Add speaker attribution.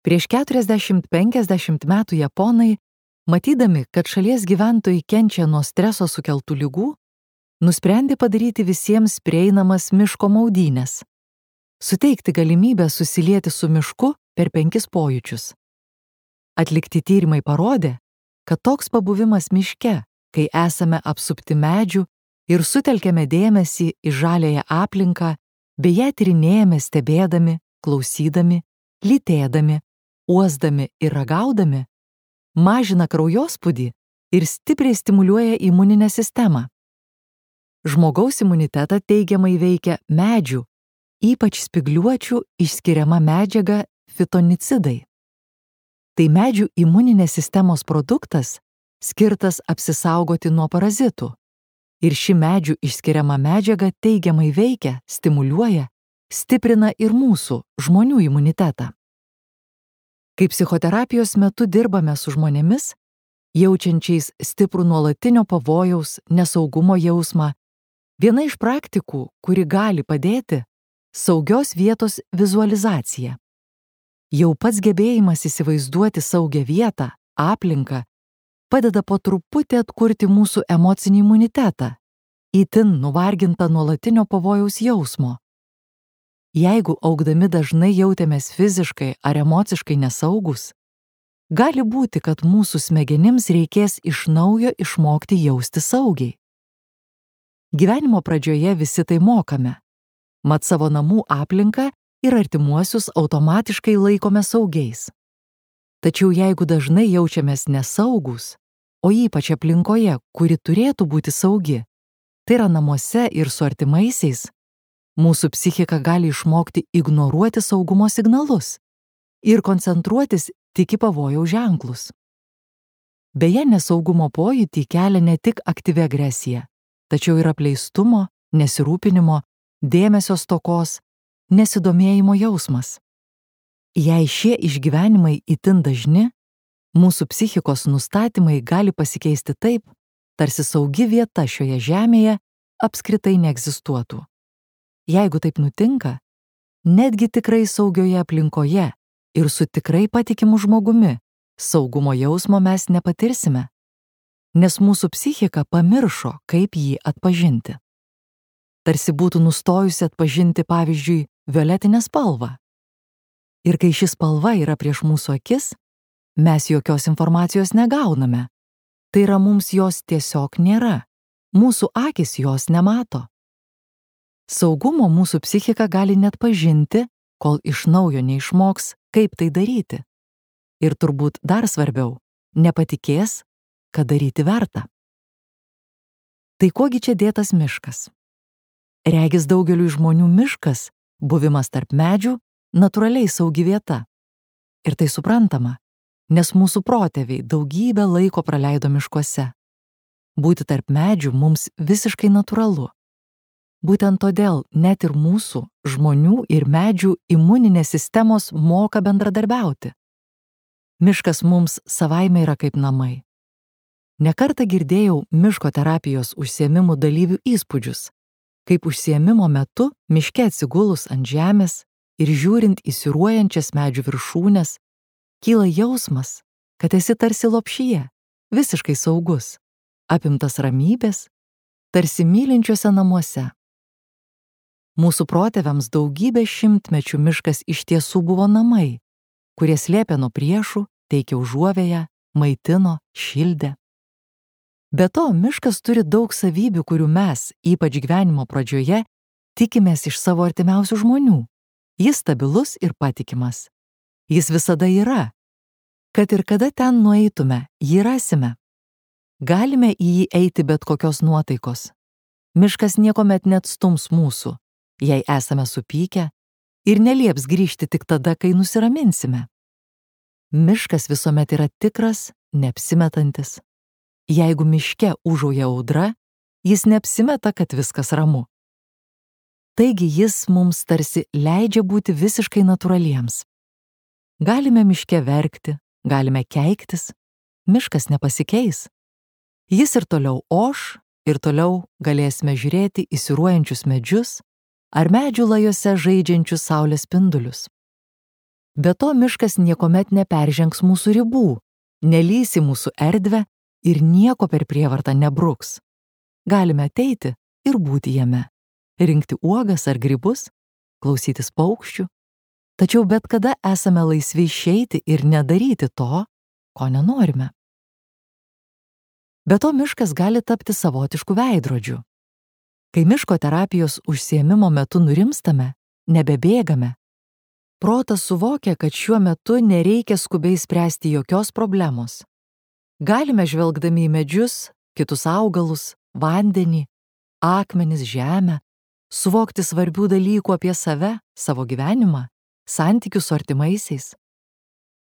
Speaker 1: Prieš 40–50 metų japonai, matydami, kad šalies gyventojai kenčia nuo streso sukeltų ligų, nusprendė padaryti visiems prieinamas miško maudynes, suteikti galimybę susilieti su mišku per 5 pojūčius. Atlikti tyrimai parodė, kad toks pabuvimas miške, kai esame apsupti medžių ir sutelkiame dėmesį į žaliąją aplinką, bei ją tyrinėjame stebėdami, klausydami, lytėdami, uosdami ir ragaudami, mažina kraujospūdį ir stipriai stimuliuoja imuninę sistemą. Žmogaus imunitetą teigiamai veikia medžių, ypač spygliuočių išskiriama medžiaga fitonicidai. Tai medžių imuninės sistemos produktas, skirtas apsisaugoti nuo parazitų. Ir ši medžių išskiriama medžiaga teigiamai veikia, stimuliuoja, stiprina ir mūsų, žmonių imunitetą. Kai psichoterapijos metu dirbame su žmonėmis, jaučiančiais stiprų nuolatinio pavojaus, nesaugumo jausmą, viena iš praktikų, kuri gali padėti, saugios vietos vizualizacija. Jau pats gebėjimas įsivaizduoti saugią vietą, aplinką, padeda po truputį atkurti mūsų emocinį imunitetą, itin nuvargintą nuolatinio pavojaus jausmo. Jeigu augdami dažnai jautėmės fiziškai ar emociškai nesaugus, gali būti, kad mūsų smegenims reikės iš naujo išmokti jausti saugiai. Gyvenimo pradžioje visi tai mokame, mat savo namų aplinką ir artimuosius automatiškai laikome saugiais. Tačiau jeigu dažnai jaučiamės nesaugus, o ypač aplinkoje, kuri turėtų būti saugi, tai yra namuose ir su artimaisiais, mūsų psichika gali išmokti ignoruoti saugumo signalus ir koncentruotis tik į pavojaus ženklus. Beje, nesaugumo pojūtį kelia ne tik aktyvi agresija, tačiau ir apleistumo, nesirūpinimo, dėmesio stokos, nesidomėjimo jausmas. Jei šie išgyvenimai itin dažni, mūsų psichikos nustatymai gali pasikeisti taip, tarsi saugi vieta šioje žemėje apskritai neegzistuotų. Jeigu taip nutinka, netgi tikrai saugioje aplinkoje ir su tikrai patikimu žmogumi saugumo jausmo mes nepatirsime, nes mūsų psichika pamiršo, kaip jį atpažinti. Tarsi būtų nustojusi atpažinti, pavyzdžiui, violetinę spalvą. Ir kai ši spalva yra prieš mūsų akis, mes jokios informacijos negauname. Tai yra, mums jos tiesiog nėra. Mūsų akys jos nemato. Saugumo mūsų psichika gali net pažinti, kol iš naujo neišmoks, kaip tai daryti. Ir turbūt dar svarbiau, nepatikės, kad daryti verta. Tai kuogi čia dėtas miškas? Regis daugeliui žmonių miškas, buvimas tarp medžių, natūraliai saugi vieta. Ir tai suprantama, nes mūsų protėviai daugybę laiko praleido miškuose. Būti tarp medžių mums visiškai natūralu. Būtent todėl net ir mūsų, žmonių ir medžių imuninės sistemos moka bendradarbiauti. Miškas mums savaime yra kaip namai. Ne kartą girdėjau miško terapijos užsiėmimų dalyvių įspūdžius, kaip užsiėmimo metu miške atsigulus ant žemės ir žiūrint į siūruojančias medžių viršūnes, kyla jausmas, kad esi tarsi lopšyje, visiškai saugus, apimtas ramybės, tarsi mylinčiuose namuose. Mūsų protėviams daugybę šimtmečių miškas iš tiesų buvo namai, kurie slėpė nuo priešų, teikė užuovėją, maitino, šildė. Be to, miškas turi daug savybių, kurių mes, ypač gyvenimo pradžioje, tikimės iš savo artimiausių žmonių. Jis stabilus ir patikimas. Jis visada yra. Kad ir kada ten nueitume, jį rasime. Galime į jį eiti bet kokios nuotaikos. Miškas niekuomet neatstums mūsų, jei esame supykę, ir nelieps grįžti tik tada, kai nusiraminsime. Miškas visuomet yra tikras, neapsimetantis. Jeigu miške užauja audra, jis neapsimeta, kad viskas ramu. Taigi jis mums tarsi leidžia būti visiškai natūraliems. Galime miške verkti, galime keiktis, miškas nepasikeis. Jis ir toliau oš, ir toliau galėsime žiūrėti į siūruojančius medžius ar medžių lajose žaidžiančius saulės spindulius. Be to, miškas niekuomet neperžengs mūsų ribų, nelįs į mūsų erdvę ir nieko per prievartą nebruks. Galime ateiti ir būti jame, rinkti uogas ar grybus, klausytis paukščių, tačiau bet kada esame laisvi išeiti ir nedaryti to, ko nenorime. Be to, miškas gali tapti savotišku veidrodžiu. Kai miško terapijos užsiėmimo metu nurimstame, nebebėgame, protas suvokia, kad šiuo metu nereikia skubiai spręsti jokios problemos. Galime žvelgdami į medžius, kitus augalus, vandenį, akmenis, žemę, suvokti svarbių dalykų apie save, savo gyvenimą, santykius su artimaisiais.